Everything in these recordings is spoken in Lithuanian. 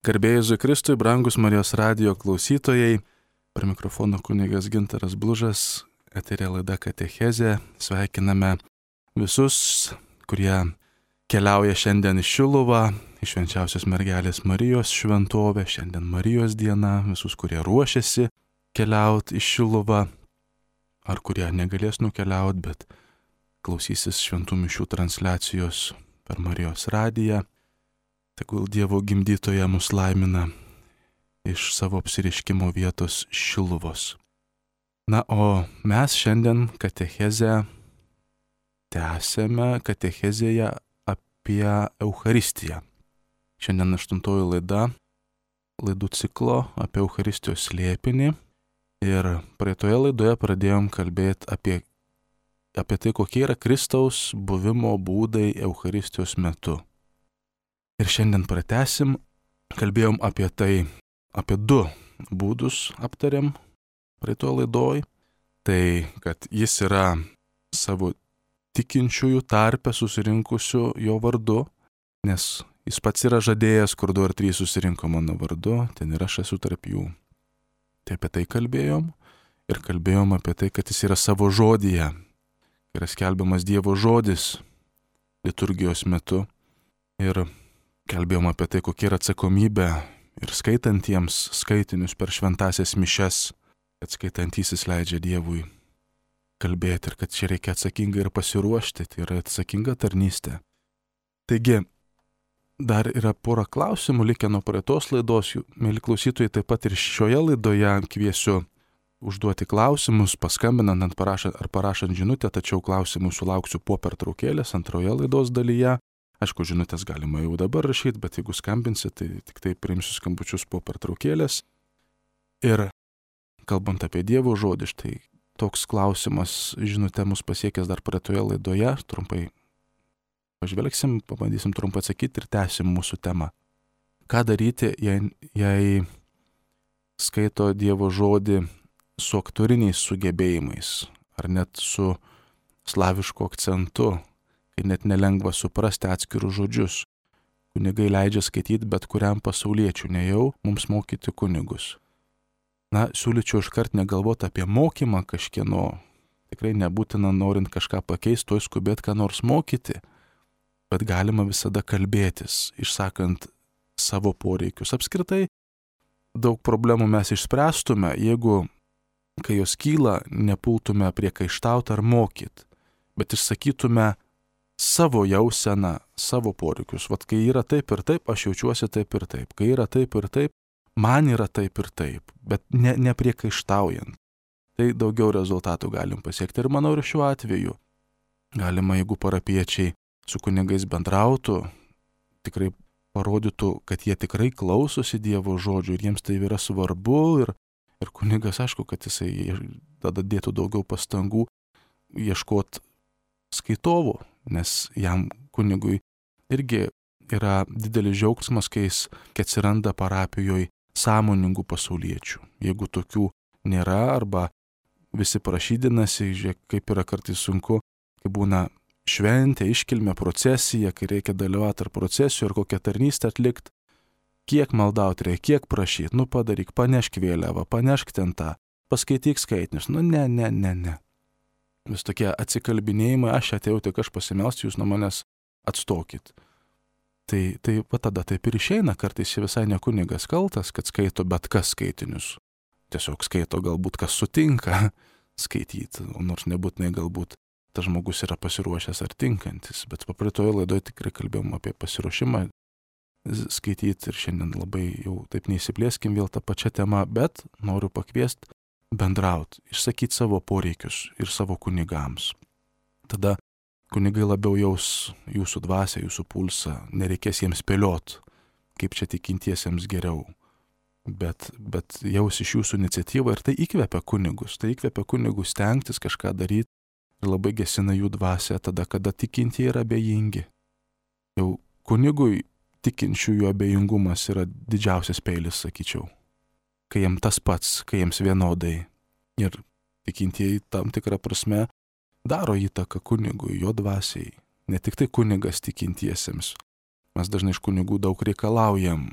Garbė Jėzui Kristui, brangus Marijos radijo klausytojai, prie mikrofono kunigas Gintaras Blužas, eterė laida Katechezė. Sveikiname visus, kurie keliauja šiandien į Šiluvą, į Švenčiausios Mergelės Marijos šventovę, šiandien Marijos diena, visus, kurie ruošiasi keliauti į Šiluvą, ar kurie negalės nukeliauti, bet klausysis šventų mišių transliacijos per Marijos radiją. Tegul Dievo gimdytoja mus laimina iš savo apsireiškimo vietos Šiluvos. Na, o mes šiandien katechezę tęsėme katechezėje apie Eucharistiją. Šiandien 8 laida, laidų ciklo apie Eucharistijos slėpinį. Ir praeitoje laidoje pradėjom kalbėti apie tai, kokie yra Kristaus buvimo būdai Eucharistijos metu. Ir šiandien pratęsim, kalbėjom apie tai, apie 2 būdus aptarėm praeitoje laidoj. Tai, kad jis yra savo tikinčiųjų tarpe susirinkusių jo vardu, nes jis pats yra žadėjęs, kur 2 ar 3 susirinko mano vardu, ten ir aš esu tarp jų. Tai apie tai kalbėjom ir kalbėjom apie tai, kad jis yra savo žodyje, yra skelbiamas Dievo žodis liturgijos metu. Ir kalbėjom apie tai, kokia yra atsakomybė ir skaitantiems skaitinius per šventąsias mišias, kad skaitantysis leidžia Dievui kalbėti ir kad čia reikia atsakingai ir pasiruošti, tai yra atsakinga tarnystė. Taigi, dar yra pora klausimų likę nuo praeitos laidos, mėly klausytojai, taip pat ir šioje laidoje kviesiu užduoti klausimus, paskambinant ar parašant žinutę, tačiau klausimų sulauksiu po pertraukėlės antroje laidos dalyje. Aišku, žinutės galima jau dabar rašyti, bet jeigu skambinsit, tai tik tai priimsiu skambučius po pertraukėlės. Ir kalbant apie Dievo žodį, štai toks klausimas žinutė mus pasiekęs dar praeitoje laidoje. Trumpai pažvelgsim, pabandysim trumpai atsakyti ir tęsim mūsų temą. Ką daryti, jei skaito Dievo žodį su aktoriniais sugebėjimais, ar net su slavišku akcentu, kai net nelengva suprasti atskirus žodžius. Kunigai leidžia skaityti bet kuriam pasauliečiui, ne jau mums mokyti kunigus. Na, siūlyčiau iškart negalvoti apie mokymą kažkieno. Tikrai nebūtina norint kažką pakeisti, toj skubėti ką nors mokyti, bet galima visada kalbėtis, išsakant savo poreikius. Apskritai, daug problemų mes išspręstume, jeigu, kai jos kyla, nepultume priekaištauti ar mokyti, bet išsakytume savo jauseną, savo poreikius. Vat kai yra taip ir taip, aš jaučiuosi taip ir taip. Kai yra taip ir taip, man yra taip ir taip, bet nepriekaištaujant. Tai daugiau rezultatų galim pasiekti. Ir manau, ir šiuo atveju galima, jeigu parapiečiai su kunigais bendrautų, tikrai parodytų, kad jie tikrai klausosi Dievo žodžių ir jiems tai yra svarbu. Ir kunigas, aišku, kad jisai tada dėtų daugiau pastangų ieškoti skaitovų, nes jam kunigui irgi yra didelis džiaugsmas, kai atsiranda parapijoje sąmoningų pasauliečių. Jeigu tokių nėra arba visi prašydinasi, žiūrėk, kaip yra kartais sunku, kai būna šventė, iškilmė, procesija, kai reikia dalyvauti ar procesijų, ar kokią tarnystę atlikti, kiek maldauti reikia, kiek prašyti, padaryk, panešk vėliavą, panešk ten tą, paskaityk skaitinius, ne. Vis tokie atsikalbinėjimai, aš atėjau, tik aš pasimelsiu, jūs nuo manęs atstokit. Tai va tada taip ir išeina, kartais visai ne kunigas kaltas, kad skaito bet kas skaitinius. Tiesiog skaito galbūt kas sutinka skaityti, nors nebūtinai galbūt tas žmogus yra pasiruošęs ar tinkantis. Bet papraitoje laidoje tikrai kalbėjom apie pasiruošimą skaityti ir šiandien labai jau taip neįsiplėskim vėl tą pačią temą, bet noriu pakviesti bendrauti, išsakyti savo poreikius ir savo kunigams. Tada kunigai labiau jaus jūsų dvasią, jūsų pulsą, nereikės jiems spėliot, kaip čia tikintiesiems geriau, bet jaus iš jūsų iniciatyvą ir tai įkvepia kunigus stengtis kažką daryti ir labai gesina jų dvasią tada, kada tikintieji yra abejingi. Jau kunigui tikinčiųjų abejingumas yra didžiausias peilis, sakyčiau. Kai jiems tas pats, kai jiems vienodai. Ir tikintieji tam tikrą prasme daro įtaką kunigui, jo dvasiai. Ne tik tai kunigas tikintiesiems. Mes dažnai iš kunigų daug reikalaujam.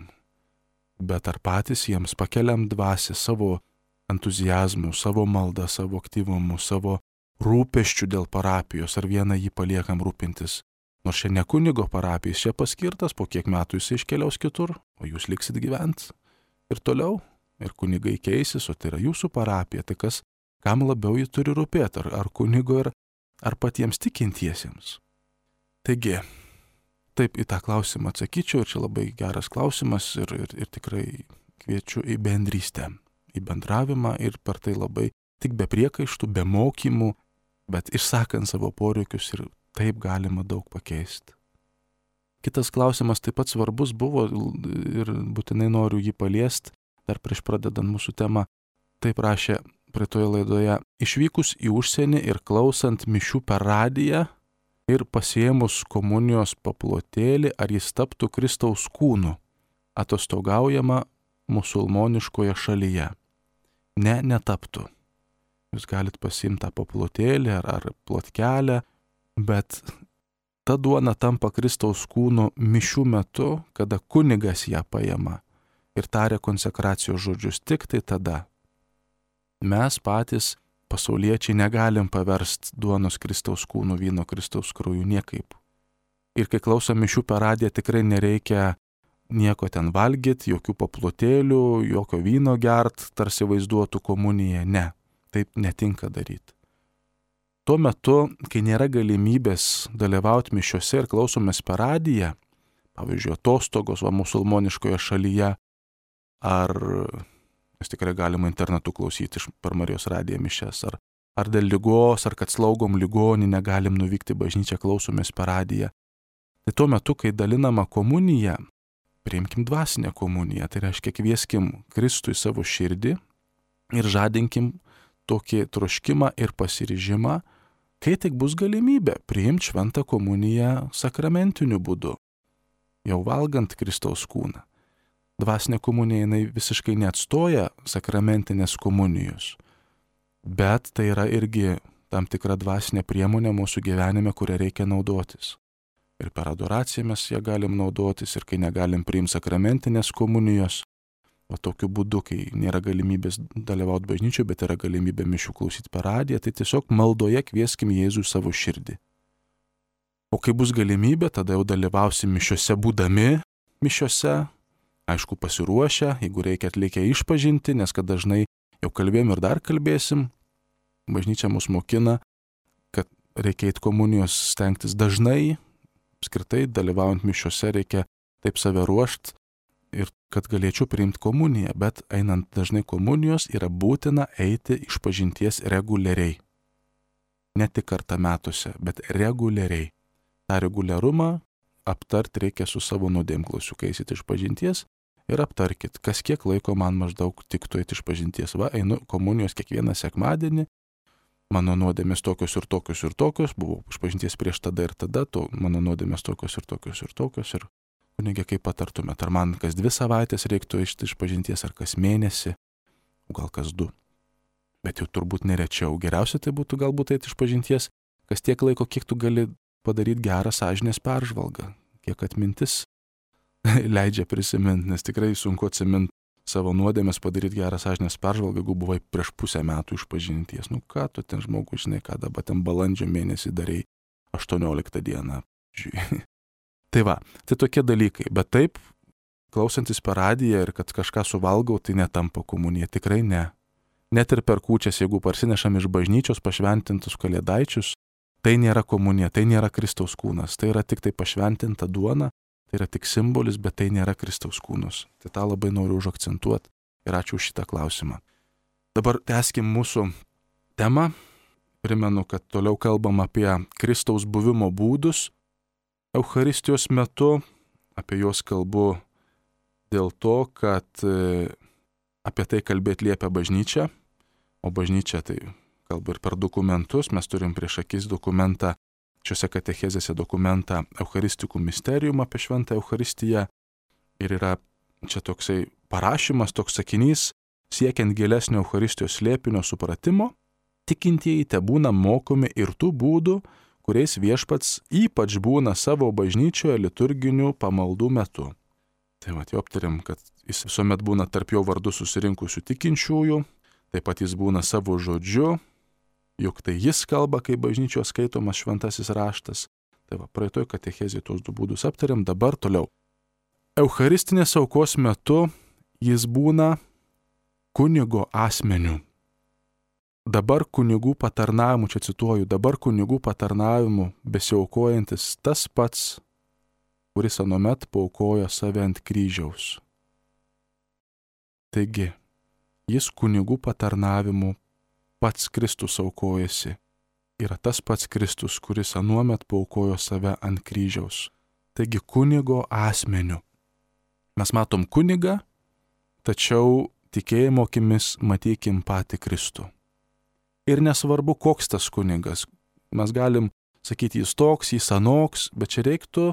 bet ar patys jiems pakeliam dvasią savo entuzijazmu, savo maldą, savo aktyvumu, savo rūpeščių dėl parapijos, ar vieną jį paliekam rūpintis. Nors čia ne kunigo parapijos, čia paskirtas, po kiek metų jis iškeliaus kitur, o jūs liksit gyventi ir toliau, ir kunigai keisis, o tai yra jūsų parapija, tai kas, kam labiau jį turi rūpėti, ar kunigo, ar patiems tikintiesiems. Taigi, taip į tą klausimą atsakyčiau, ir čia labai geras klausimas, ir tikrai kviečiu į bendrystę, į bendravimą, ir per tai labai tik be priekaištų, be mokymų, bet išsakant savo poreikius, ir taip galima daug pakeisti. Kitas klausimas taip pat svarbus buvo, ir būtinai noriu jį paliesti, dar prieš pradedant mūsų temą. Taip rašė praeitoje laidoje: išvykus į užsienį ir klausant mišių per radiją ir pasiėmus komunijos paplotėlį, ar jis taptų Kristaus kūnu, atostogaujama musulmoniškoje šalyje? Ne, netaptų. Jūs galit pasiimti tą paplotėlį ar plotkelę, bet ta duona tampa Kristaus kūnu mišių metu, kada kunigas ją paima ir taria konsekracijos žodžius, tik tai tada. Mes patys, pasauliečiai, negalim paversti duonos Kristaus kūnu, vyno Kristaus krauju niekaip. Ir kai klausom mišių per radiją, tikrai nereikia nieko ten valgyti, jokių paplotėlių, jokio vyno gert, tarsi vaizduotų komuniją. Ne, taip netinka daryti. Tuo metu, kai nėra galimybės dalyvauti mišiuose ir klausomės per radiją, pavyzdžiui, atostogos musulmoniškoje šalyje, ar mes tikrai galima internetu klausyti per Marijos radiją mišias, ar dėl ligos, ar kad slaugom ligonį, negalim nuvykti į bažnyčią, klausomės per radiją. Tai tuo metu, kai dalinama komunija, priimkim dvasinę komuniją, tai reiškia kvieskim Kristų į savo širdį ir žadinkim tokį troškimą ir pasiryžimą, kai tik bus galimybė priimti šventą komuniją sakramentiniu būdu, jau valgant Kristaus kūną. Dvasinė komunija jinai visiškai neatstoja sakramentinės komunijos, bet tai yra irgi tam tikra dvasinė priemonė mūsų gyvenime, kurią reikia naudotis. Ir per adoraciją mes ją galim naudotis, ir kai negalim priimti sakramentinės komunijos, o tokiu būdu, kai nėra galimybės dalyvauti bažnyčioje, bet yra galimybė mišių klausyti per radiją, tai tiesiog maldoje kvieskim Jėzų į savo širdį. O kai bus galimybė, tada jau dalyvausim mišiuose būdami mišiuose, aišku, pasiruošę, jeigu reikia atlikę išpažinti, nes kad dažnai jau kalbėjom ir dar kalbėsim, bažnyčia mus mokina, kad reikia eiti komunijos stengtis dažnai, apskritai dalyvaujant mišiuose reikia taip save ruošti, ir kad galėčiau priimti komuniją, bet einant dažnai komunijos yra būtina eiti išpažinties reguliariai. Ne tik kartą metuose, bet reguliariai. Ta reguliarumą aptarti reikia su savo nuodėmklausiu, kai eisit išpažinties, ir aptarkit, kas kiek laiko man maždaug tiktų eiti išpažinties. Va, einu komunijos kiekvieną sekmadienį, mano nuodėmės tokios ir tokios ir tokios, buvau išpažinties prieš tada ir tada, mano nuodėmės tokios ir tokios ir tokios, ir kunigė, kaip patartumėt, ar man kas 2 savaitės reiktų išpažinties, ar kas mėnesį, o gal kas 2. Bet jau turbūt nerečiau. Geriausia tai būtų galbūt eiti išpažinties, kas tiek laiko, kiek tu gali padaryti gerą sąžinės peržvalgą, kiek atmintis leidžia prisiminti, nes tikrai sunku atsiminti savo nuodėmės, padaryti gerą sąžinės peržvalgą, jeigu buvai prieš pusę metų išpažinties. Nu ką tu ten žmogus, žinai, ką dabar ten balandžio mėnesį darai 18 dieną. Tai va, tai tokie dalykai, bet taip, klausantis per radiją ir kad kažką suvalgau, tai netampa komunija, tikrai ne. Net ir per kūčias, jeigu parsinešam iš bažnyčios pašventintus kalėdaičius, tai nėra komunija, tai nėra Kristaus kūnas, tai yra tik tai pašventinta duona, tai yra tik simbolis, bet tai nėra Kristaus kūnas. Tai tą labai noriu užakcentuoti ir ačiū už šitą klausimą. Dabar tęskim mūsų temą. Primenu, kad toliau kalbam apie Kristaus buvimo būdus Eucharistijos metu, apie juos kalbu dėl to, kad apie tai kalbėti liepia bažnyčia, o bažnyčia tai kalba ir per dokumentus, mes turim prieš akis dokumentą, šiuose katechezėse dokumentą Eucharistikų misterium apie šventą Eucharistiją, ir yra čia toksai parašymas, toks sakinys, siekiant gilesnio Eucharistijos slėpinio supratimo, tikintieji tebūna mokomi ir tų būdų, kuriais viešpats ypač būna savo bažnyčioje liturginių pamaldų metu. Tai va, jau aptarėm, kad jis visuomet būna tarp jo vardu susirinkusių tikinčiųjų, taip pat jis būna savo žodžiu, juk tai jis kalba, kai bažnyčios skaitomas šventasis raštas. Tai va, praeitoj katechezėje tuos du būdus aptarėm, dabar toliau. Eucharistinės aukos metu jis būna kunigo asmeniu. Dabar kunigų patarnavimu, čia cituoju, dabar kunigų patarnavimu besiaukojantis tas pats, kuris anuomet paaukojo save ant kryžiaus. Taigi, jis kunigų patarnavimu pats Kristus aukojasi. Yra tas pats Kristus, kuris anuomet paaukojo save ant kryžiaus. Taigi, kunigo asmeniu. Mes matom kunigą, tačiau tikėjimo akimis matykim patį Kristų. Ir nesvarbu, koks tas kunigas. Mes galim sakyti, jis toks, jis anoks, bet čia reiktų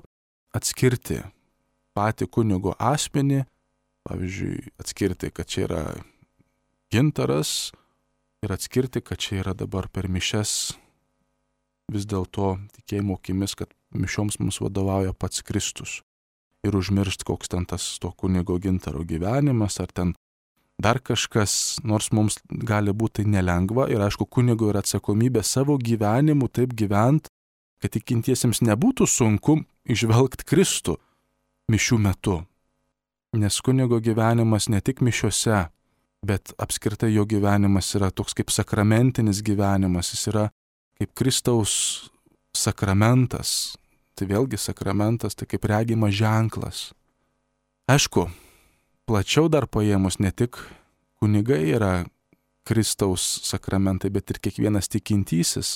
atskirti patį kunigo asmenį, pavyzdžiui, atskirti, kad čia yra Gintaras ir atskirti, kad čia yra dabar per mišias vis dėlto tikėjimo akimis, kad mišioms mums vadovauja pats Kristus. Ir užmiršti, koks ten tas to kunigo Gintaro gyvenimas, ar ten dar kažkas, nors mums gali būti tai nelengva ir aišku, kunigo yra atsakomybė savo gyvenimu taip gyvent, kad tikintiesiems nebūtų sunku įžvelgti Kristų mišių metu. Nes kunigo gyvenimas ne tik mišiose, bet apskritai jo gyvenimas yra toks kaip sakramentinis gyvenimas, jis yra kaip Kristaus sakramentas. Tai vėlgi sakramentas, tai kaip regimas ženklas. Aišku, plačiau dar paėmus ne tik kunigai yra Kristaus sakramentai, bet ir kiekvienas tikintysis.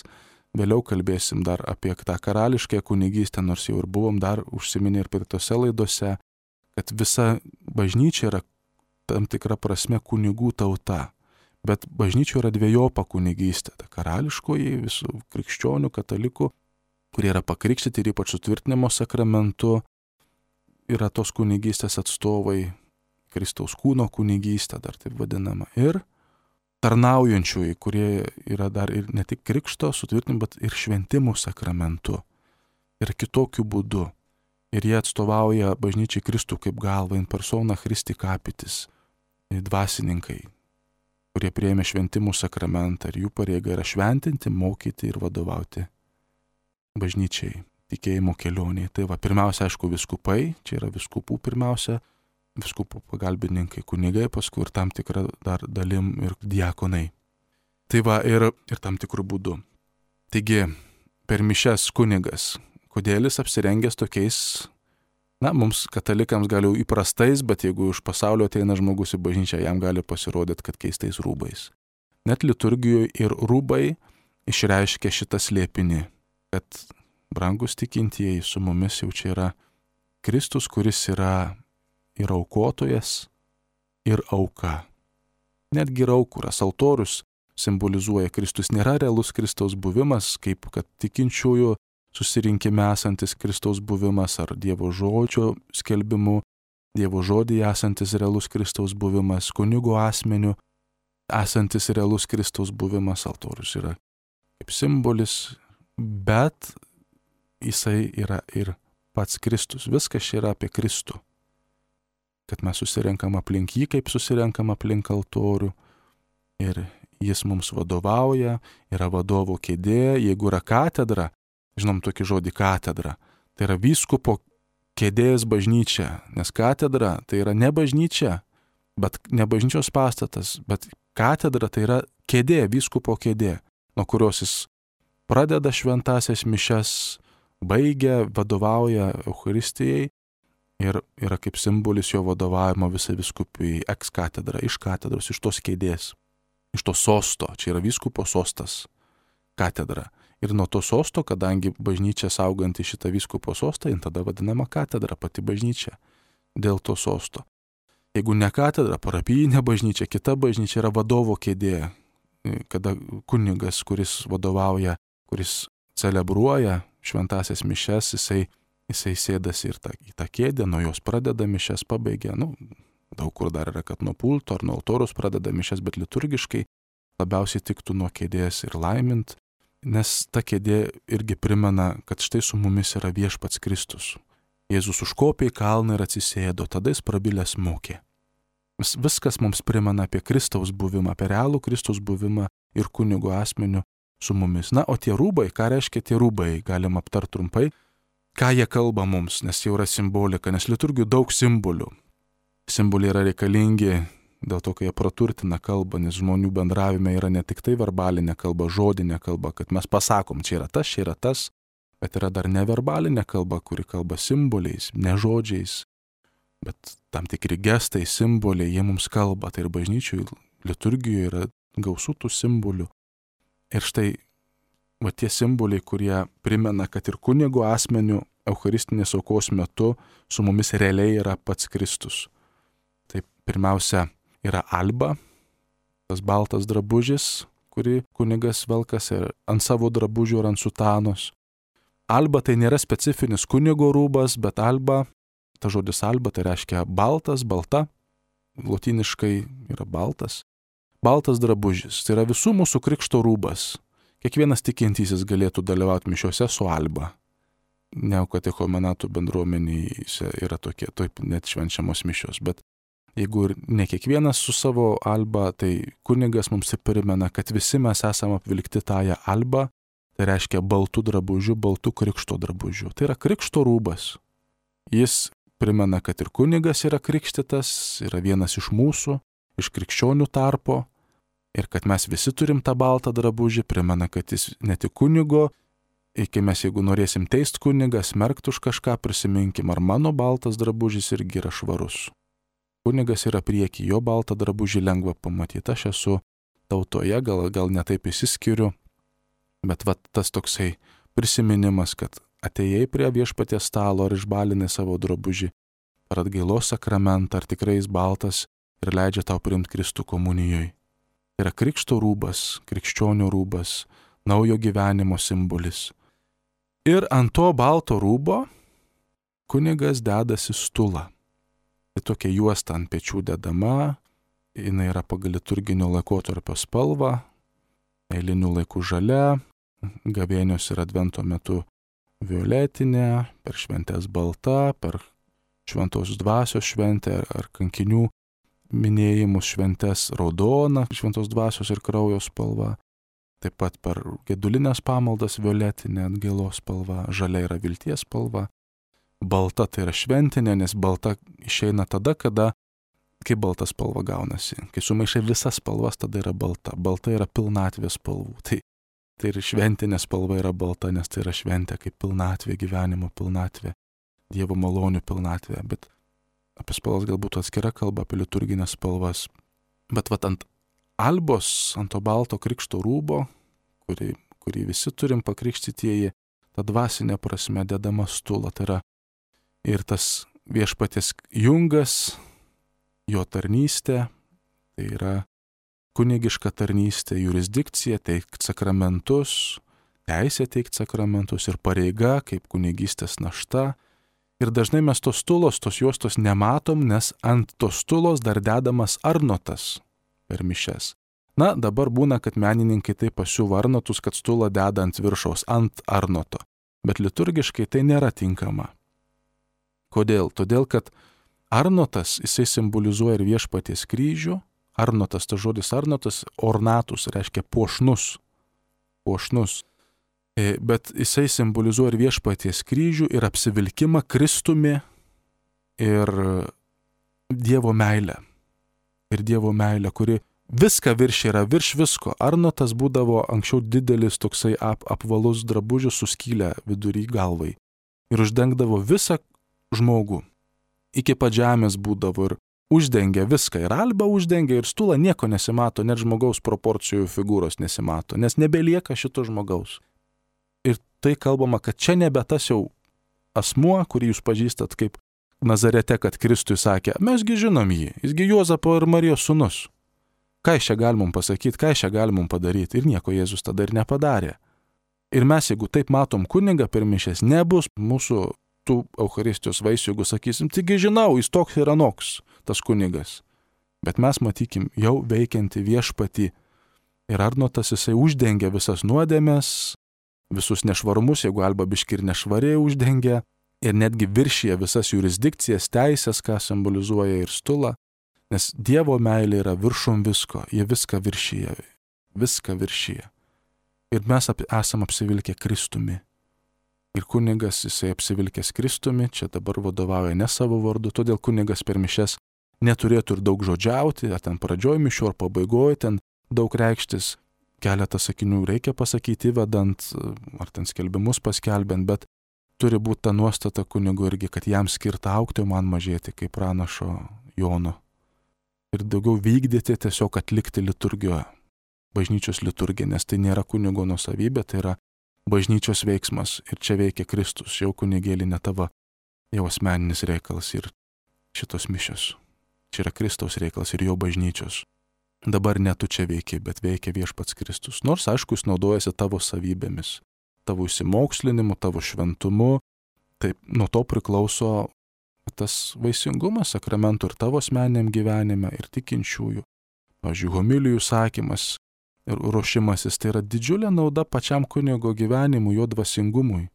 Vėliau kalbėsim dar apie tą karališkąją kunigystę, nors jau ir buvom dar užsiminę ir praeitose laidose, kad visa bažnyčia yra tam tikra prasme kunigų tauta. Bet bažnyčia yra dvejopa kunigystė. Ta karališkoji visų krikščionių, katalikų, kurie yra pakrikštyti ir ypač sutvirtinimo sakramentu, yra tos kunigystės atstovai, Kristaus kūno kunigystė, dar taip vadinama, ir tarnaujančiųjų, kurie yra dar ir ne tik krikšto sutvirtinimo, bet ir šventimų sakramentu ir kitokiu būdu. Ir jie atstovauja bažnyčiai Kristų kaip galva, in persona Christi capitis, dvasininkai, kurie priėmė šventimų sakramentą ir jų pareiga yra šventinti, mokyti ir vadovauti bažnyčiai, tikėjimo kelioniai. Tai va, pirmiausia, aišku, viskupai, čia yra viskupų pirmiausia, viskupų pagalbininkai, kunigai, paskui ir tam tikrą dar dalim ir diakonai. Tai va, ir tam tikrų būdų. Taigi, per mišias kunigas, kodėl jis apsirengęs tokiais, na, mums katalikams gal jau įprastais, bet jeigu iš pasaulio ateina žmogus į bažnyčią, jam gali pasirodyti, kad keistais rūbais. Net liturgijoje ir rūbai išreiškia šitą slėpinį, kad brangus tikintieji su mumis jau čia yra Kristus, kuris yra ir aukotojas, ir auka. Netgi ir aukuras, altorius simbolizuoja Kristus, nėra realus Kristaus buvimas, kaip kad tikinčiųjų susirinkime esantis Kristaus buvimas ar Dievo žodžio skelbimu, Dievo žodyje esantis realus Kristaus buvimas, kunigo asmeniu esantis realus Kristaus buvimas, altorius yra kaip simbolis, bet jisai yra ir pats Kristus. Viskas čia yra apie Kristų. Kad mes susirenkam aplink jį, kaip susirenkam aplink altorių. Ir jis mums vadovauja, yra vadovo kėdė. Jeigu yra katedra, žinom tokį žodį katedra, tai yra vyskupo kėdės bažnyčia. Nes katedra tai yra ne bažnyčia, bet ne bažnyčios pastatas, bet katedra tai yra kėdė, vyskupo kėdė, nuo kurios jis pradeda šventasias mišias, baigia, vadovauja Eucharistijai ir yra kaip simbolis jo vadovavimo visai vyskupijai, ex katedra, iš katedros, iš tos kėdės, iš to sosto, čia yra vyskupo sostas, katedra. Ir nuo to sosto, kadangi bažnyčia sauganti šitą vyskupo sostą, jin tada vadinama katedra, pati bažnyčia, dėl to sosto. Jeigu ne katedra, parapijinė bažnyčia, kita bažnyčia yra vadovo kėdė, kada kunigas, kuris vadovauja, kuris celebruoja šventasias mišias, jisai sėdasi ir į tą kėdę, nuo jos pradeda mišias, pabaigia, daug kur dar yra, kad nuo pulto ar nuo altoriaus pradeda mišias, bet liturgiškai labiausiai tiktų nuo kėdės ir laimint, nes ta kėdė irgi primena, kad štai su mumis yra viešpats Kristus. Jėzus užkopė į kalną ir atsisėdo, tada jis prabilęs mokė. Viskas mums primena apie Kristaus buvimą, apie realų Kristaus buvimą ir kunigo asmeniu su mumis. Na, o tie rūbai, ką reiškia tie rūbai, galim aptarti trumpai, ką jie kalba mums, nes jau yra simbolika, nes liturgijų daug simbolių. Simboliai yra reikalingi dėl to, kai jie praturtina kalbą, nes žmonių bendravime yra ne tik tai verbalinė kalba, žodinė kalba, kad mes pasakom, čia yra tas, bet yra dar neverbalinė kalba, kuri kalba simboliais, ne žodžiais, bet tam tikri gestai, simboliai, jie mums kalba. Tai ir bažnyčių liturgijoje yra gausų tų simbolių. Ir štai, va tie simboliai, kurie primena, kad ir kunigo asmeniu eucharistinės aukos metu su mumis realiai yra pats Kristus. Tai pirmiausia yra alba, tas baltas drabužis, kurį kunigas velkas ir ant savo drabužių ir ant sutanos. Alba tai nėra specifinis kunigo rūbas, bet alba, ta žodis alba tai reiškia baltas, balta, lotyniškai yra baltas. Baltas drabužis, tai yra visų mūsų krikšto rūbas. Kiekvienas tikintysis galėtų dalyvauti mišiuose su alba. Neokatechumenatų bendruomenėse yra tokie, taip net švenčiamos mišios, bet jeigu ir ne kiekvienas su savo alba, tai kunigas mums primena, kad visi mes esame apvilkti tąją albą, tai reiškia baltų drabužių, baltų krikšto drabužių. Tai yra krikšto rūbas. Jis primena, kad ir kunigas yra krikštytas, yra vienas iš mūsų, iš krikščionių tarpo, ir kad mes visi turim tą baltą drabužį, primena, kad jis ne tik kunigo, iki mes, jeigu norėsim teist kunigą, smerkt už kažką, prisiminkim, ar mano baltas drabužis irgi yra švarus. Kunigas yra prieky, jo baltą drabužį lengva pamatyti. Aš esu tautoje, gal netaip įsiskiriu, bet va tas toksai prisiminimas, kad atėjai prie viešpaties stalo ar išbalinai savo drabužį ar atgailos sakramentą, ar tikrai jis baltas ir leidžia tau priimti Kristų komunijoje. Tai yra krikšto rūbas, krikščionių rūbas, naujo gyvenimo simbolis. Ir ant to balto rūbo kunigas dedasi stulą. Tai tokia juosta ant pečių dedama, jinai yra pagal liturginio laikotarpio spalvą, eilinių laikų žalia, gavėnios ir advento metu violetinė, per šventės balta, per šventos dvasios šventę ar kankinių minėjimus šventės raudona, šventos dvasios ir kraujo spalva. Taip pat per gedulinės pamaldas violetinė atgailos spalva, žalia yra vilties spalva. Balta tai yra šventinė, nes balta išeina tada, kai balta spalva gaunasi. Kai sumaišai visas spalvas, tada yra balta. Balta yra pilnatvės spalvų. Tai ir šventinė spalva yra balta, nes tai yra šventė kaip pilnatvė, gyvenimo pilnatvė, Dievo malonių pilnatvė. Bet apie spalvas galbūt atskira kalba, apie liturginės spalvas. Bet vat ant albos, ant to balto krikšto rūbo, kurį visi turim pakrikštytieji, ta dvasinė prasme dedama stula. Tai yra ir tas viešpaties jungas, jo tarnystė, tai yra kunigiška tarnystė, jurisdikcija, teikt sakramentus, teisė teikt sakramentus ir pareiga kaip kunigystės našta. Ir dažnai mes tos stulos, tos juostos nematom, nes ant tos stulos dar dedamas arnotas per mišias. Na, dabar būna, kad menininkai taip pasiuva arnotus, kad stulą deda ant viršaus, ant arnoto. Bet liturgiškai tai nėra tinkama. Kodėl? Todėl, kad arnotas, jisai simbolizuoja ir viešpaties kryžių. Arnotas, tas žodis arnotas, ornatus, reiškia puošnus. Puošnus. Bet jisai simbolizuoja ir viešpaties kryžių, ir apsivilkimą Kristumi, ir Dievo meilę. Ir Dievo meilę, kuri viską yra virš visko. Arnotas būdavo anksčiau didelis toksai apvalus drabužis su skylę vidury galvai. Ir uždengdavo visą žmogų. Iki pat žemės būdavo ir uždengia viską. Ir albą uždengia, ir stulą nieko nesimato, net žmogaus proporcijų figūros nesimato, nes nebelieka šito žmogaus. Ir tai kalbama, kad čia nebe tas jau asmuo, kurį jūs pažįstat kaip Nazarete, kad Kristui sakė, mesgi žinom jį, jisgi Juozapo ir Marijos sūnus. Ką iš čia galim pasakyti, ką iš čia galim padaryti? Ir nieko Jėzus tada ir nepadarė. Ir mes, jeigu taip matom kunigą per mišias, nebus mūsų tų Eucharistijos vaisių, jeigu sakysim, taigi žinau, jis toks ir anoks, tas kunigas. Bet mes matykim jau veikianti viešpatį. Ir arnotas jisai uždengia visas nuodėmes, visus nešvarumus, jeigu alba biški ir nešvariai uždengia, ir netgi viršyje visas jurisdikcijas, teisės, ką simbolizuoja ir stulą, nes Dievo meilė yra viršum visko, jie viską viršyje. Ir mes esam apsivilkę Kristumi. Ir kunigas, jisai apsivilkęs Kristumi, čia dabar vadovauja ne savo vardu, todėl kunigas per mišes neturėtų ir daug žodžiauti, ar ten pradžioj mišių, ar pabaigoj, ten daug reikštis, keletą sakinių reikia pasakyti, vedant, ar ten skelbimus paskelbiant, bet turi būti ta nuostata kunigo irgi, kad jam skirta augti, o man mažėti, kaip pranašo Jono. Ir daugiau vykdyti, tiesiog atlikti liturgiją, bažnyčios liturgiją, nes tai nėra kunigo nuosavybė, tai yra bažnyčios veiksmas ir čia veikia Kristus, jau kunigėlį ne tavo, jau asmeninis reikalas ir šitos mišios. Čia yra Kristaus reikalas ir jo bažnyčios. Dabar ne tu čia veikia, bet veikia viešpats Kristus. Nors, aišku, jis naudojasi tavo savybėmis, tavo įsimokslinimu, tavo šventumu. Taip, nuo to priklauso tas vaisingumas sakramentų ir tavo asmeniniam gyvenime, ir tikinčiųjų. Pavyzdžiui, homilijų sakymas ir ruošimasis, tai yra didžiulė nauda pačiam kunigo gyvenimui, jo dvasingumui.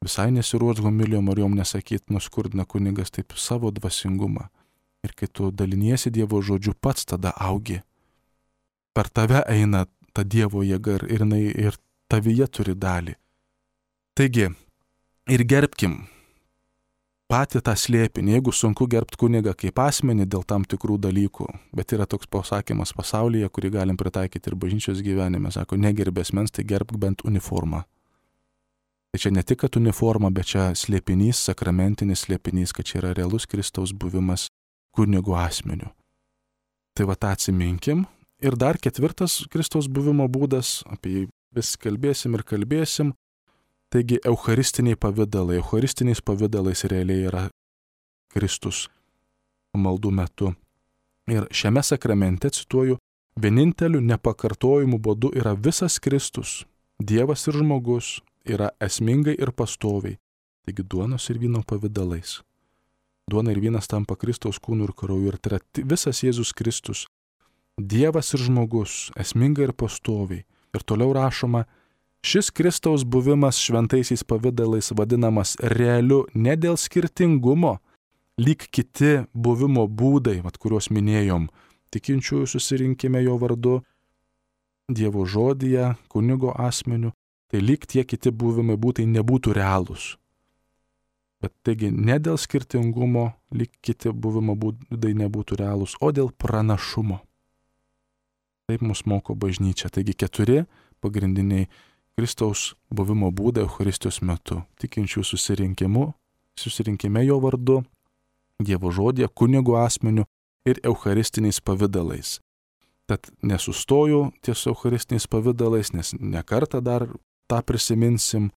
Visai nesiruoš homilijom ar jom nesakyti, nuskurdina kunigas taip savo dvasingumą. Ir kai tu daliniesi Dievo žodžiu, pats tada augi. Per tave eina ta Dievo jėga ir tavyje turi dalį. Taigi, ir gerbkim patį tą slėpinį, jeigu sunku gerbti kunigą kaip asmenį dėl tam tikrų dalykų, bet yra toks pasakymas pasaulyje, kurį galim pritaikyti ir bažnyčios gyvenime, sako, negerbė asmens, tai gerbk bent uniformą. Tai čia ne tik, kad uniforma, bet čia slėpinys, sakramentinis slėpinys, kad čia yra realus Kristaus buvimas kunigo asmeniu. Tai va tą atsiminkim. Ir dar ketvirtas Kristaus buvimo būdas, apie jį vis kalbėsim ir kalbėsim. Taigi eucharistiniai pavidalai. Eucharistiniais pavidalais realiai yra Kristus maldų metu. Ir šiame sakramente, cituoju, vieninteliu nepakartojimu būdu yra visas Kristus, Dievas ir žmogus, yra esmingai ir pastoviai. Taigi duonos ir vyno pavidalais. Duona ir vynas tampa Kristaus kūnų ir krauju ir tai yra visas Jėzus Kristus, Dievas ir žmogus, esmingai ir pastoviai. Ir toliau rašoma, šis Kristaus buvimas šventaisiais pavidalais vadinamas realiu ne dėl skirtingumo, lyg kiti buvimo būdai, kuriuos minėjom, tikinčiųjų susirinkime jo vardu, Dievo žodyje, kunigo asmeniu, tai lyg tie kiti buvimai būtai nebūtų realūs. Bet taigi ne dėl skirtingumo, lyg kiti buvimo būdai nebūtų realūs, o dėl pranašumo. Taip mus moko bažnyčia. Taigi 4 pagrindiniai Kristaus buvimo būdai Eucharistijos metu. Tikinčių susirinkime jo vardu, Dievo žodyje, kunigo asmeniu ir eucharistiniais pavidalais. Tad nesustoju ties eucharistiniais pavidalais, nes ne kartą dar tą prisiminsim,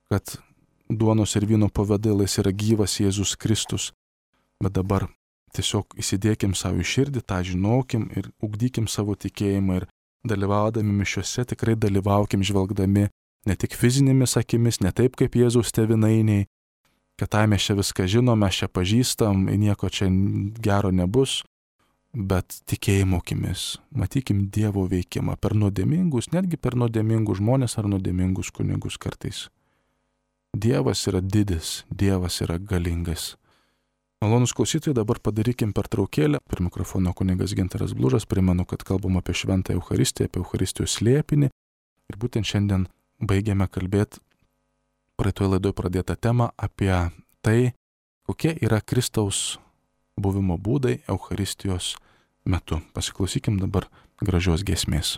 kad duonos ir vyno pavidalais yra gyvas Jėzus Kristus, bet dabar tiesiog įsidėkim savo į širdį, tą žinokim ir ugdykim savo tikėjimą ir dalyvaudami mišiuose tikrai dalyvaukim žvelgdami ne tik fizinėmis akimis, ne taip kaip Jėzaus tėvynainiai, kad mes čia viską žinom, mes čia pažįstam, nieko čia gero nebus, bet tikėjimo akimis, matykim Dievo veikimą per nuodėmingus, netgi per nuodėmingus žmonės ar nuodėmingus kunigus kartais. Dievas yra didis, Dievas yra galingas. Malonūs klausytojai, dabar padarykim pertraukėlę. Per mikrofono kunigas Gintaras Blužas, primenu, kad kalbam apie šventą Eucharistiją, apie Eucharistijos slėpinį. Ir būtent šiandien baigiame kalbėti praeitoje laidoje pradėtą temą apie tai, kokie yra Kristaus buvimo būdai Eucharistijos metu. Pasiklausykim dabar gražios giesmės.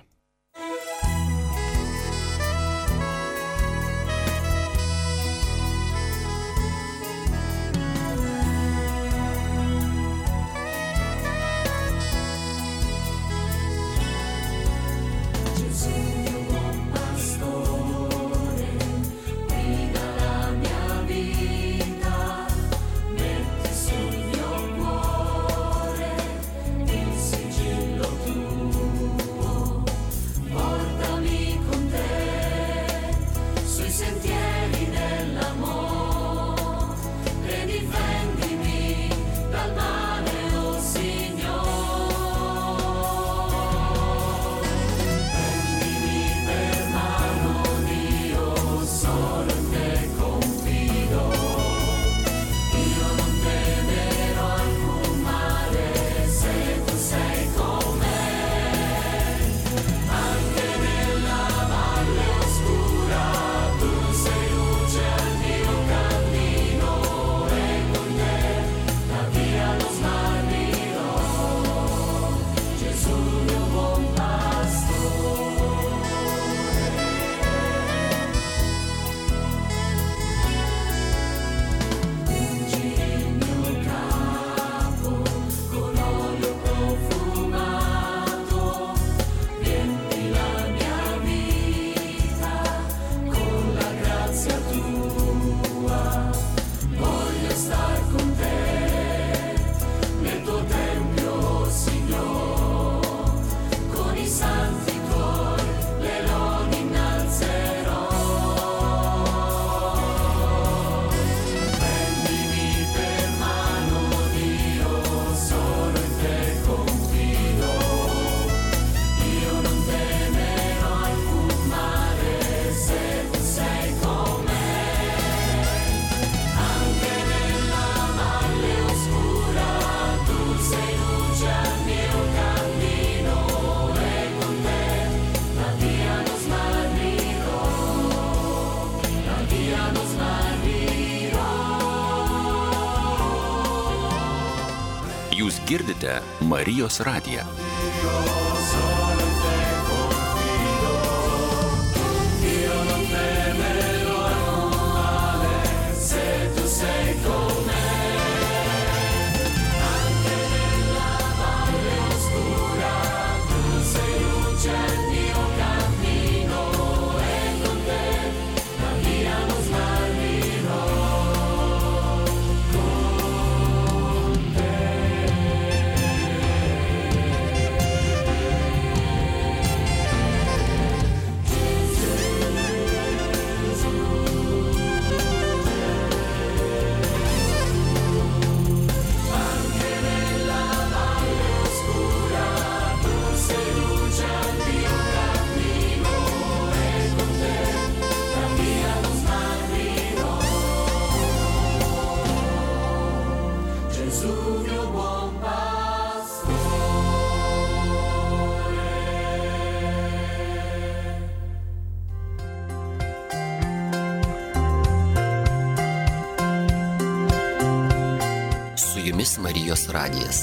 Girdite Marijos radiją. Jumis Marijos radijas.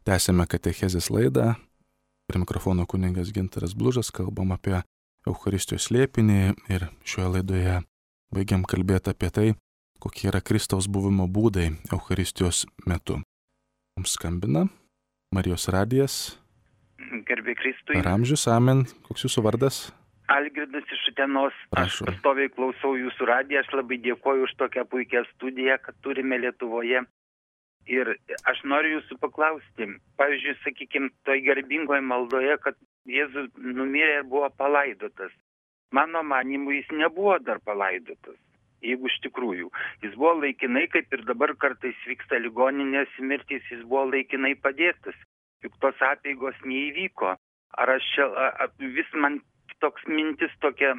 Tęsėme katechezės laidą. Prie mikrofono kunigas Gintaras Blužas, kalbam apie Eucharistijos slėpinį ir šioje laidoje baigiam kalbėti apie tai, kokie yra Kristaus buvimo būdai Eucharistijos metu. Mums skambina Marijos radijas. Garbė Kristui. Per amžius, amen. Koks jūsų vardas? Algirdas iš Utenos. Prašau. Aš pastoviai klausau jūsų radiją, aš labai dėkoju už tokią puikią studiją, kad turime Lietuvoje. Ir aš noriu jūsų paklausti, pavyzdžiui, sakykime, toj garbingoje maldoje, kad Jėzus numirė ir buvo palaidotas. Mano manimu, jis nebuvo dar palaidotas, jeigu iš tikrųjų. Jis buvo laikinai, kaip ir dabar kartais vyksta ligoninės mirtys, jis buvo laikinai padėtas. Juk tos apeigos neįvyko. Ar aš čia, vis man toks mintis tokia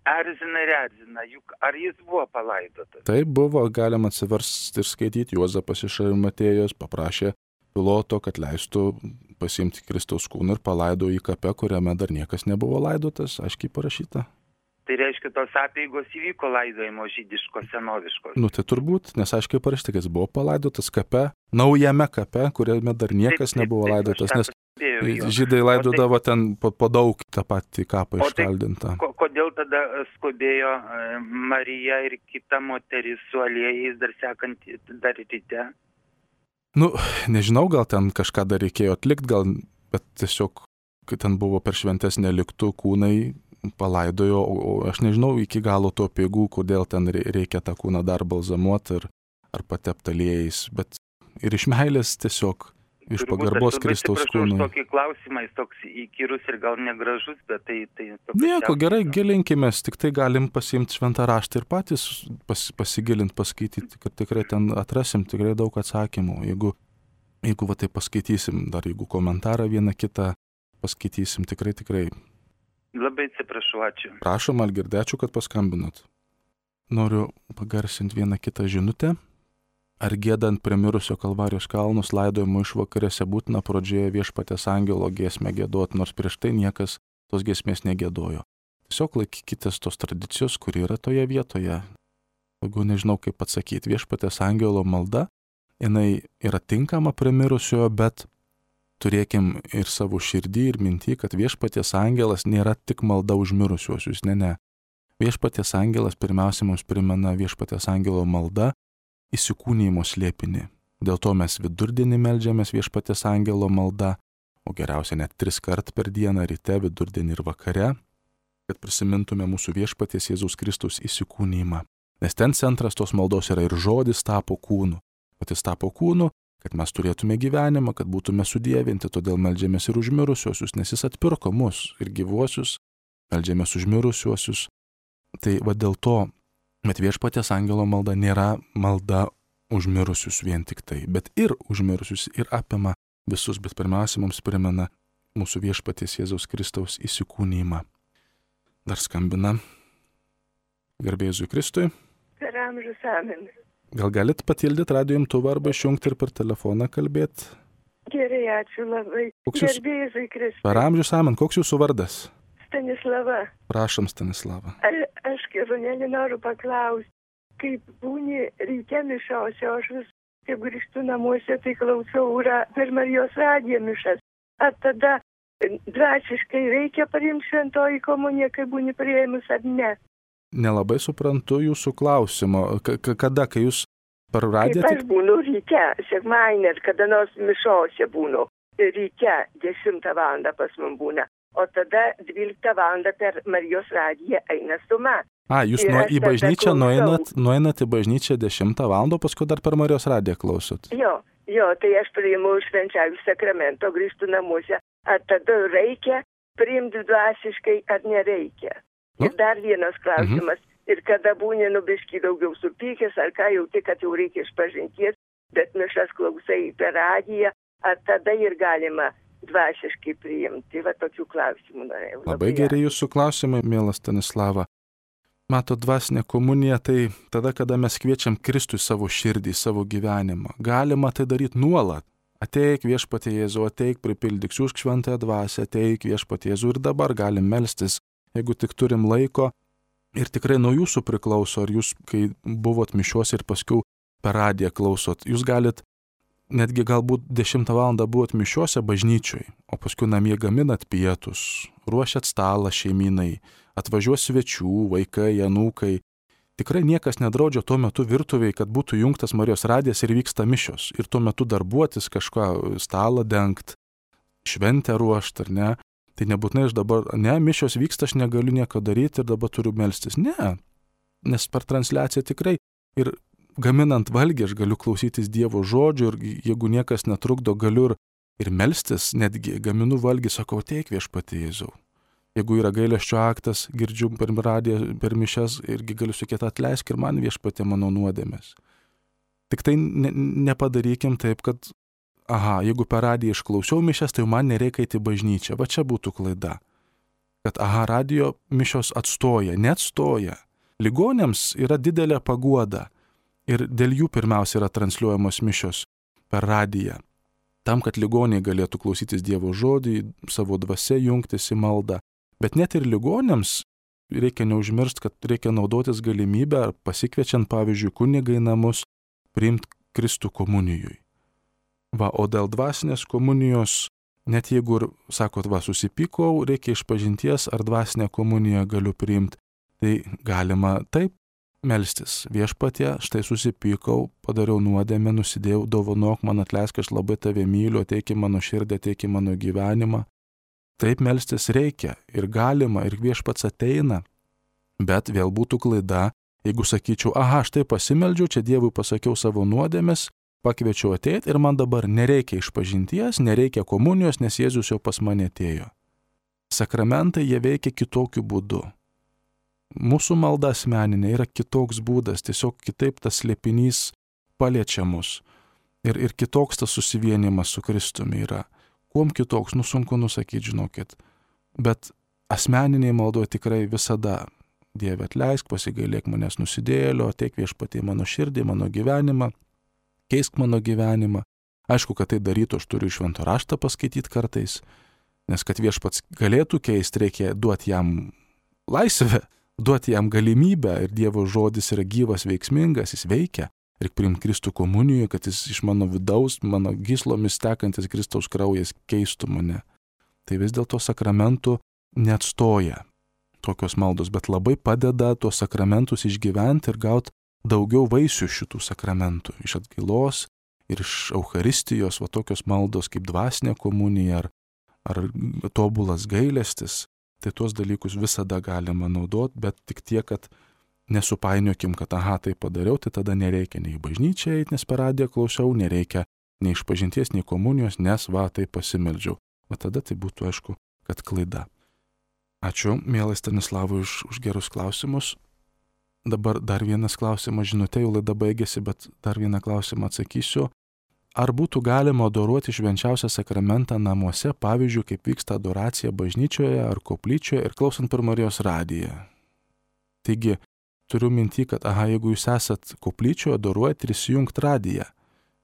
erzina, juk ar jis buvo palaidotas? Taip buvo, galima atsiversti ir skaityti. Juozapas iš Arimatėjos paprašė Piloto, kad leistų pasiimti Kristaus kūną ir palaido į kapę, kuriame dar niekas nebuvo laidotas, aiškiai parašyta. Tai reiškia, tos apeigos įvyko laidojimo žydiškos, senoviškos. Tai turbūt, nes aiškiai parašyta, kad jis buvo palaidotas kape, naujame kape, kuriame dar niekas nebuvo laidotas, nes žydai laidodavo ten po daug tą patį kapą iškaldintą. Kodėl tada skubėjo Marija ir kita moteris su aliejais dar sekantį, dar ryte? Nežinau, gal ten kažką dar reikėjo atlikti, bet tiesiog, kai ten buvo per šventes neliktų kūnai, palaidojo, o aš nežinau iki galo to apeigų, kodėl ten reikia tą kūną dar balzamuoti ar patepti aliejais, bet ir iš meilės tiesiog, iš pagarbos Kristaus kūnui. Aš tokį klausimą, jis toks įkyrus ir gal negražus, bet tai nieko, gerai, gilinkimės, tik tai galim pasiimti šventą raštą ir patys pasigilinti, paskaityti, kad tikrai ten atrasim tikrai daug atsakymų. Jeigu va tai paskaitysim, dar jeigu komentarą vieną kitą paskaitysim, tikrai. Labai atsiprašau, ačiū. Prašom, Algirdai, ačiū, kad paskambinot. Noriu pagarsinti vieną kitą žinutę. Ar giedant prie mirusio Kalvarijos kalnus laidojimo išvakarėse būtina pradžioje Viešpaties angelo giesmę giedoti, nors prieš tai niekas tos giesmės negiedojo. Tiesiog laikykitės tos tradicijos, kuri yra toje vietoje. Jeigu nežinau kaip atsakyti, Viešpaties angelo malda, jinai yra tinkama prie mirusiojo, bet turėkim ir savo širdį ir mintį, kad Viešpaties angelas nėra tik malda už mirusiuosius, ne. Viešpaties angelas pirmiausia mums primena Viešpaties angelo malda įsikūnijimo slėpinį. Dėl to mes vidurdienį meldžiamės Viešpaties angelo malda, o geriausia net 3 kart per dieną, ryte, vidurdienį ir vakare, kad prisimintume mūsų Viešpaties Jėzaus Kristaus įsikūnijimą. Nes ten centras tos maldos yra ir žodis tapo kūnu. O jis tapo kūnu, kad mes turėtume gyvenimą, kad būtume sudievinti, todėl meldžiamės ir už mirusiuosius, nes jis atpirko mus ir gyvuosius, meldžiamės už mirusiuosius. Tai va dėl to, bet Viešpaties angelo malda nėra malda už mirusius vien tik tai, bet ir už mirusius ir apima visus, bet pirmiausia mums primena mūsų Viešpaties Jėzaus Kristaus įsikūnijimą. Dar skambina. Garbė Jėzui Kristui. Per amžius, amen. Gal galit patildyti radijo imtuvą arba išjungti ir per telefoną kalbėti? Gerai, ačiū labai. Garbė Jėzui Kristui. Per amžius, amen. Koks jūsų vardas? Stanislava. Prašom, Stanislava. Aš, Keronelį, noriu paklausti, kaip būni ryte mišiose, o aš vis, kai grįžtu namuose, tai klausau per Marijos radiją mišas. Ar tada dvasiškai reikia priimti šventoji komuniją, kai būni priėmus ar ne? Nelabai suprantu jūsų klausimo. Kada, kai jūs per radiją... Kaip aš būnu ryte, sekmadienį, kada nors mišiose būnu. Ryte 10 val. Pas man būna. O tada 12 val. Per Marijos radiją eina suma. Jūs į bažnyčią nueinat į bažnyčią 10 val. Paskui dar per Marijos radiją klausot. Jo, tai aš priimu švenčiausių sakramento, grįžtu namuose. Ar tada reikia priimti dvasiškai, ar nereikia? Ir dar vienas klausimas. Ir kada būni biškį daugiau supykęs, ar ką jauti, kad jau reikia išpažinties, bet mišas klausai per radiją, ar tada ir galima dvasiškai priimti? Va tokių klausimų norėjau. Labai gerai jūsų klausimai, mielas Stanislava. Mato, dvasinė komunija tai tada, kada mes kviečiam Kristų į savo širdį, į savo gyvenimą. Galima tai daryti nuolat. Ateik Viešpatie Jėzau, ateik, pripildyk, siųsk šventąją dvasią, ateik Viešpatie Jėzau ir dabar galim melstis, jeigu tik turim laiko. Ir tikrai nuo jūsų priklauso, ar jūs, kai buvot mišiuose ir paskui per radiją klausot, jūs galit netgi galbūt 10 val. Buvot mišiuose bažnyčioj, o paskui namie gaminat pietus, ruošiat stalą šeimynai, atvažiuos svečių, vaikai, anūkai. Tikrai niekas nedraudžia tuo metu virtuviai, kad būtų jungtas Marijos radijas ir vyksta mišios. Ir tuo metu darbuotis kažką, stalą dengt, šventę ruošt, ar ne? Tai nebūtinai aš dabar, mišios vyksta, aš negaliu nieko daryti ir dabar turiu melstis. Ne, nes per transliaciją tikrai ir gaminant valgį aš galiu klausytis Dievo žodžių ir jeigu niekas netrukdo, galiu ir melstis, netgi gaminu valgį, sakau, ateik Viešpatie Jėzau. Jeigu yra gailesčio aktas, girdžiu per radiją, per mišias, irgi galiu sakyti, atleisk ir man Viešpatie mano nuodėmės. Tik tai nepadarykim taip, kad jeigu per radiją išklausiau mišias, tai man nereikia eiti į bažnyčią. Va čia būtų klaida. Kad radijo mišios atstoja, neatstoja. Ligoniams yra didelė paguoda. Ir dėl jų pirmiausia yra transliuojamos mišios per radiją. Tam, kad ligoniai galėtų klausytis Dievo žodį, savo dvasia jungtis į maldą. Bet net ir ligoniams reikia neužmiršti, kad reikia naudotis galimybę, pasikviečiant, pavyzdžiui, kunigą į namus, priimti Kristų komunijui. O dėl dvasinės komunijos, net jeigu ir, sakot, susipykau, reikia išpažinties, ar dvasinę komuniją galiu priimti, tai galima taip melstis. Viešpatie, štai susipykau, padariau nuodėmę, nusidėjau, dovanok man, atleisk, aš labai tave myliu, ateik į mano širdį, ateik į mano gyvenimą. Taip melstis reikia ir galima, ir Viešpats ateina. Bet vėl būtų klaida, jeigu sakyčiau, štai pasimeldžiau, čia Dievui pasakiau savo nuodėmės, pakviečiau ateiti ir man dabar nereikia išpažinties, nereikia komunijos, nes Jėzus jau pas mane atėjo. Sakramentai jie veikia kitokiu būdu. Mūsų malda asmeninė yra kitoks būdas, tiesiog kitaip tas slėpinys paliečia mus. Ir kitoks tas susivienimas su Kristumi yra. Kuom kitoks, sunku nusakyti, žinokit. Bet asmeniniai maldoje tikrai visada Dieve atleisk, pasigailėk manęs nusidėjėlio, ateik Viešpatie mano širdį, mano gyvenimą. Keisk mano gyvenimą. Aišku, kad tai darytų, aš turiu švento raštą paskaityti kartais, nes kad Viešpats galėtų keisti, reikia duoti jam laisvę, duoti jam galimybę ir Dievo žodis yra gyvas, veiksmingas, jis veikia. Reikia priimti Kristų komunijoje, kad jis iš mano vidaus, mano gyslomis tekantis Kristaus kraujas keistų mane. Tai vis dėlto sakramentų neatstoja tokios maldos, bet labai padeda tuos sakramentus išgyventi ir gauti daugiau vaisių šitų sakramentų, iš atgailos ir iš Eucharistijos, tokios maldos kaip dvasinė komunija ar tobulas gailestis, tai tuos dalykus visada galima naudoti, bet tik tiek, kad nesupainiokim, kad tai padariau, tai tada nereikia nei į bažnyčią eiti, nes per radiją klausiau, nereikia nei išpažinties, nei komunijos, nes tai pasimeldžiau. Tada tai būtų aišku, kad klaida. Ačiū, mielai Stanislavui, už gerus klausimus. Dabar dar vienas klausimas, žinutė, jau laida baigėsi, bet dar vieną klausimą atsakysiu. Ar būtų galima adoruoti švenčiausią sakramentą namuose, pavyzdžiui, kaip vyksta adoracija bažnyčioje ar koplyčioje ir klausant per Marijos radiją? Taigi, turiu mintį, kad jeigu jūs esat koplyčioje, adoruojat ir įsijungt radiją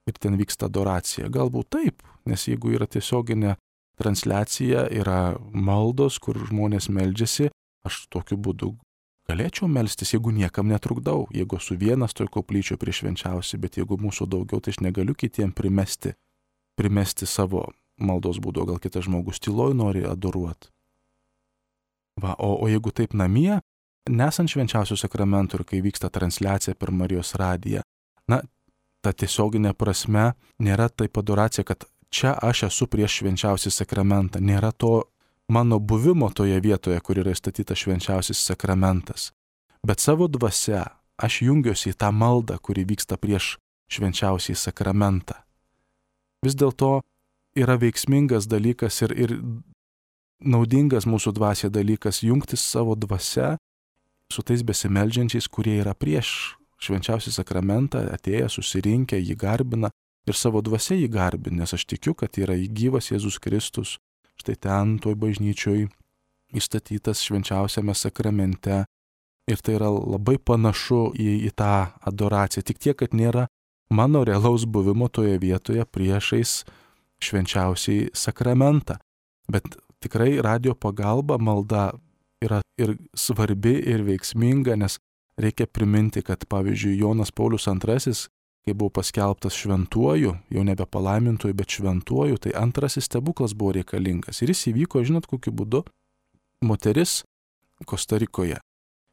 ir ten vyksta adoracija, galbūt taip, nes jeigu yra tiesioginė transliacija, yra maldos, kur žmonės meldžiasi, aš tokiu būdu galėčiau melstis, jeigu niekam netrukdau, jeigu esu vienas toj koplyčioje prie švenčiausiai, bet jeigu mūsų daugiau, tai aš negaliu kitiem primesti savo maldos būdu, gal kitas žmogus tyloj nori adoruoti. O jeigu taip namie, nesant švenčiausių sakramentų ir kai vyksta transliacija per Marijos radiją, ta tiesioginė prasme nėra taip adoracija, kad čia aš esu prieš švenčiausią sakramentą, nėra to mano buvimo toje vietoje, kur yra įstatytas švenčiausias sakramentas. Bet savo dvasia aš jungiuosi į tą maldą, kuri vyksta prieš švenčiausią sakramentą. Vis dėlto yra veiksmingas dalykas ir naudingas mūsų dvasia dalykas jungtis savo dvasia su tais besimeldžiančiais, kurie yra prieš švenčiausią sakramentą, atėję, susirinkę, jį garbina ir savo dvasia jį garbina, nes aš tikiu, kad yra gyvas Jėzus Kristus, štai ten toj bažnyčioj įstatytas švenčiausiame sakramente ir tai yra labai panašu į tą adoraciją, tik tiek, kad nėra mano realaus buvimo toje vietoje priešais švenčiausiai sakramentą. Bet tikrai radio pagalba malda yra ir svarbi, ir veiksminga, nes reikia priminti, kad pavyzdžiui Jonas Paulius II, kai buvo paskelbtas šventuoju, jau nebe palaimintuoju, bet šventuoju, tai antrasis stebuklas buvo reikalingas. Ir jis įvyko, žinot, kokiu būdu, moteris Kostarikoje.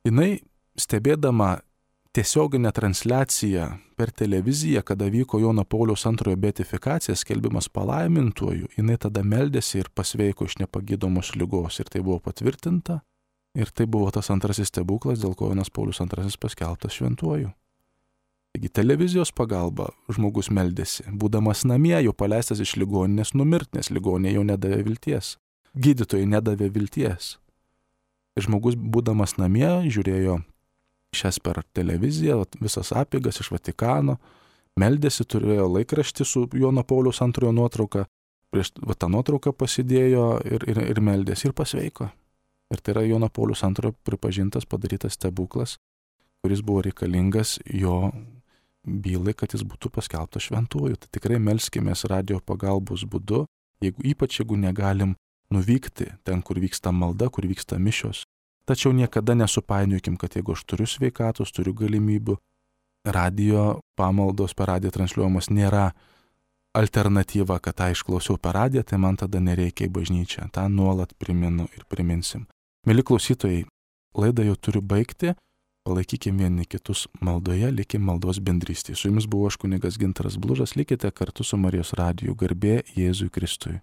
Jinai stebėdama tiesioginę transliaciją per televiziją, kada vyko Jono Pauliaus II beatifikacija, skelbimas palaimintuoju, jinai tada meldėsi ir pasveiko iš nepagydomos ligos ir tai buvo patvirtinta. Ir tai buvo tas antrasis stebuklas, dėl ko Jonas Paulius II paskelbtas šventuoju. Taigi televizijos pagalba žmogus meldėsi, būdamas namie, jau paleistas iš ligoninės numirti, nes ligoninė jau nedavė vilties. Gydytojai nedavė vilties. Ir žmogus būdamas namie žiūrėjo šias per televiziją, visas apeigas iš Vatikano, meldėsi, turėjo laikraštį su Jono Pauliaus II nuotrauka, prieš tą nuotrauką pasidėjo ir meldėsi ir pasveiko. Ir tai yra Jono Pauliaus II pripažintas, padarytas stebuklas, kuris buvo reikalingas jo bylai, kad jis būtų paskelbtas šventuoju. Tai tikrai melskimės radio pagalbos būdu, ypač jeigu negalim nuvykti ten, kur vyksta malda, kur vyksta mišios. Tačiau niekada nesupainiokim, kad jeigu aš turiu sveikatos, turiu galimybių, radio pamaldos per radiją transliuojamos nėra alternatyva, kad tą išklausiau per radiją, tai man tada nereikia į bažnyčią. tą nuolat priminu ir priminsim. Mėly klausytojai, laidą jau turiu baigti, palaikykim vieni kitus maldoje, likim maldos bendrystėje. Su jumis buvo aš kunigas Gintaras Blužas, likite kartu su Marijos radiju. Garbė Jėzui Kristui.